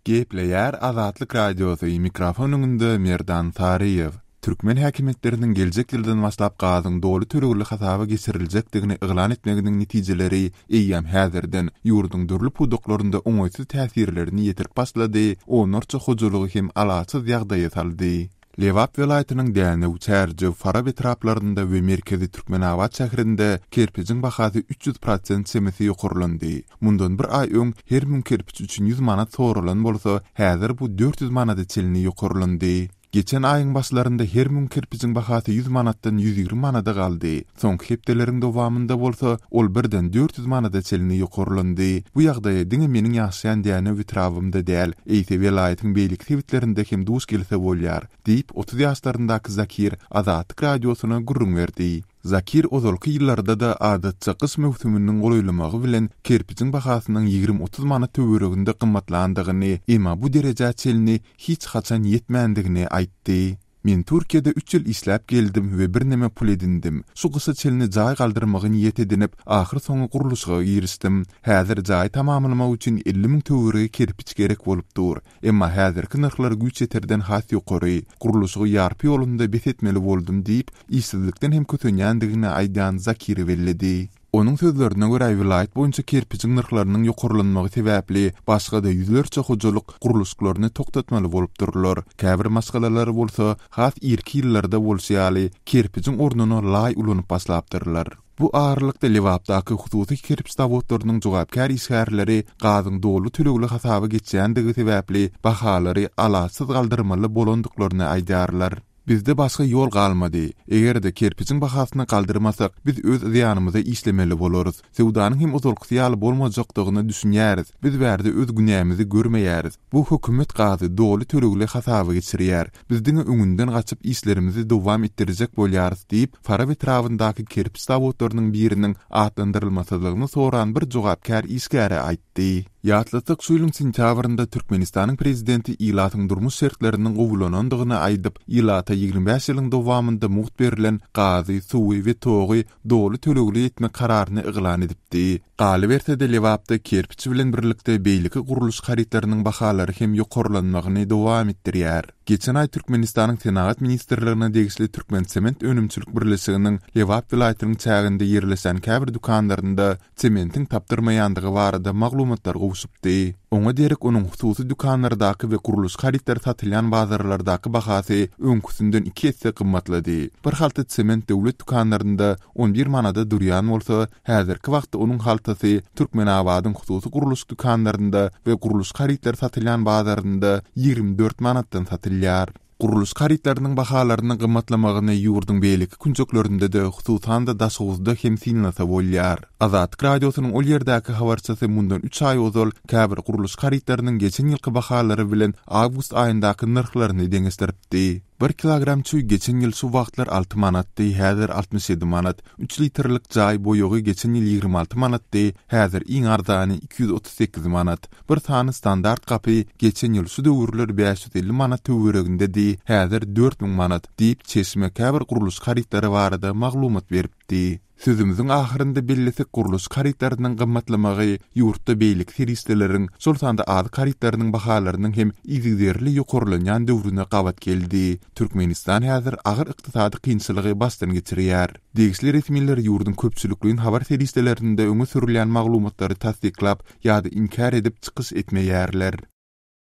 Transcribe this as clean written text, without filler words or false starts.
Gepleýär Azatlyk Radiosy, mikrofon öňünde Merdan Saryýew. Türkmen häkimiýetleriniň geljek ýyldan başlap gazyň doly tölegli hasaba geçiriljekdigini yglan etmeginiň netijeleri eýýäm häzirden ýurduň dürli pudaklarynda oňaýsyz täsirlerini ýetirip başlady, onlarça hojalygy hem alaçsyz ýagdaýa saldy. Lebap welaýatynyň Dänew, Çärjew, Farap etraplarynda we merkezi Türkmenabat şäherinde kerpijiň bahasy 300 prosent çemesi ýokarlandy. Mundan bir aý öň her müň kerpiç üçin ýüz manat soralan bolsa, häzir bu 400 manada çenli ýokarlandy. Geçen aýyň başlarynda her müň kerpijiň bahasy ýüz manatdan 120 manada galdy. Soňky hepdeleriň dowamynda bolsa, ol birden 400 manada çenli ýokarlandy. Bu ýagdaýa diňe meniň ýaşaýan Dänew etrabymda däl, eýse welaýatyň beýleki sebitlerinde hem duş gelse bolýar, diýip, 30 ýaşlaryndaky Zakir Azatlyk Radiosyna gürrüň berdi. Zakir ozalky ýyllarda-da adatça gyş möwsüminiň golaýlamagy bilen kerpijiň bahasynyň ýigrimi-otuz manat töwereginde gymmatlandygyny, emma bu derejä çenli hiç haçan ýetmändigini aýtdy. Men Türkiýede üç ýyl işläp geldim we birneme pul edindim. Şu gyşa çenli jaý galdyrmagy niýet edinip, ahyrsoňy gurluşyga girişdim. Häzir jaýy tamamlamak üçin 50 müň töweregi kerpiç gerek bolup dur. Emma häzirki nyrhlar güýç ýeterden has ýokary. Gurluşygy ýarpy ýolunda bes etmeli boldum diýip, işsizlikden hem kösenýändigini aýdýan Zakiri belledi. Onuň sözlerine görä, welaýat boýunça kerpijiň nyrhlarynyň ýokarlanmagy sebäpli başga-da ýüzlerçe hojalyk gurluşyklaryny togtatmaly bolupdyrlar. Käbir maşgalalar bolsa, has irki ýyllarda bolşy ýaly, kerpijiň ornuna laý ulanyp başlapdyrlar. Bu aralykda Lebapdaky hususy kerpiç zawodlarynyň jogapkär işgärleri gazyň doly tölegli hasaba geçýändigi sebäpli bahalary alaçsyz galdyrmaly bolandyklaryny aýdýarlar. Bizde başga ýol galmady. Eger-de kerpijiň bahasyny galdyrmasak, biz öz zyýanymyza işlemeli bolarys. Söwdanyň hem ozalkysy ýaly bolmajakdygyna düşünýäris. Biz bärde öz günämizi görmeýäris. Bu hökümet gazy doly tölegli hasaba geçirýär. Biz diňe öňünden gaçyp işlerimizi dowam etdirjek bolýarys diýip, Farap etrabyndaky kerpiç zawodlarynyň biriniň atlandyrylmasyzlygyny soran bir jogapkär işgäre aýtdy. Ýatlatsak, şu ýylyň sentýabrynda Türkmenistanyň prezidenti ilatyň durmuş şertleriniň gowulanandygyny aýdyp, ilata 25 ýylyň dowamynda mugt berlen gazy, suwy we togy doly tölegli etmek kararyny yglan edipdi. Galyberse-de, Lebapda kerpiç bilen birlikde beýleki gurluşyk harytlarynyň bahalary hem ýokarlanmagyny dowam etdirýär. Geçen aý Türkmenistanyň Senagat ministrligine degişli Türkmensement önümçilik birleşiginiň Lebap welaýatynyň çäginde ýerleşen käbir dükanlarynda sementiň tapdyrmaýandygy barada maglumatlar gowşupdy. Oňa derek onuň hususy dükanlardaky we gurluşyk harytlary satylýan bazarlardaky bahasy öňküsinden iki esse gymmatlady. Bir halta sement döwlet dükanlarynda on bir manada durýan bolsa, häzirki wagtda onuň haltasy Türkmenabadyň hususy gurluşyk dükanlarynda we gurluşyk harytlary satylýan bazarynda 24 manatdan satylýar. Gurluşyk harytlarynyň bahalarynyň gymmatlamagyny ýurduň beýleki künjeklerinde-de, hususan-da Daşoguzda hem synlasa bolýar. Azatlyk Radiosynyň ol ýerdäki habarçysy mundan üç aý ozal käbir gurluşyk harytlarynyň geçen ýylky bahalary bilen awgust aýyndaky nyrhlaryny deňeşdiripdi. Bir kilogram çüý geçen ýyl şu wagtlar alty manatdy, häzir 67 manat. Üç litrlik jaý boýagy geçen ýyl 26 manatdy, häzir iň arzany 238 manat. Bir sany standart gapy geçen ýyl şu döwürler 550 manat töweregindedi, häzir 4000 manat, diýip, çeşme käbir gurluşyk harytlary barada maglumat beripdi. Sözümiziň ahyrynda bellesek, gurluşyk harytlarynyň gymmatlamagy ýurtda beýleki serişdeleriň, şol sanda azyk harytlarynyň bahalarynyň hem yzygiderli ýokarlanýan döwrüne gabat geldi. Türkmenistan häzir agyr ykdysady kynçylygy başdan geçirýär. Degişli resmiler ýurduň köpçülikleýin habar serişdelerinde öňe sürülýän maglumatlary tassyklap ýa-da inkär edip çykyş etmeýärler.